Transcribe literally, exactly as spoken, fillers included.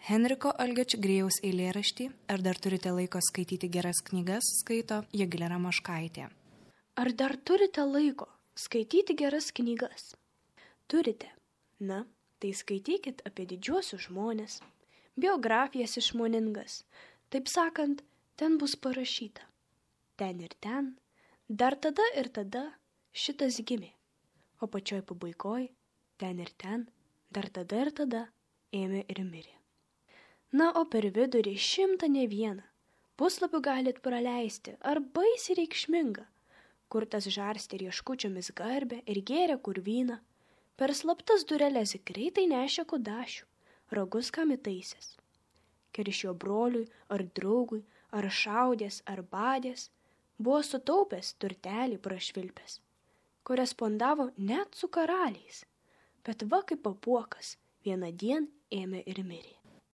Henriko Algio Čigrėjaus eilėraštį "Ar dar turite laiko skaityti geras knygas" skaito Jogilė Ramoškaitė. Ar dar turite laiko skaityti geras knygas? Turite. Na, tai skaitykit apie didžiuosius žmonės, biografijas išmoningas. Taip sakant, ten bus parašyta. Ten ir ten, dar tada ir tada šitas gimė. O pačioj pabaigoj, ten ir ten, dar tada ir tada ėmė ir mirė. Na, o per vidurį šimtą ne vieną puslapių galit praleisti, ar baisiai reikšminga, kur tas žarstė rieškučiomis garbę ir gėrė kur vyną, per slaptas dureles greitai nešė kudašių, ragus kam įtaisęs. Keršio broliui ar draugui, ar šaudės, ar badės, buvo sutaupęs turtelį prašvilpęs, korespondavo net su karaliais, bet va kaip apuokas vieną dien ėmė ir mirė.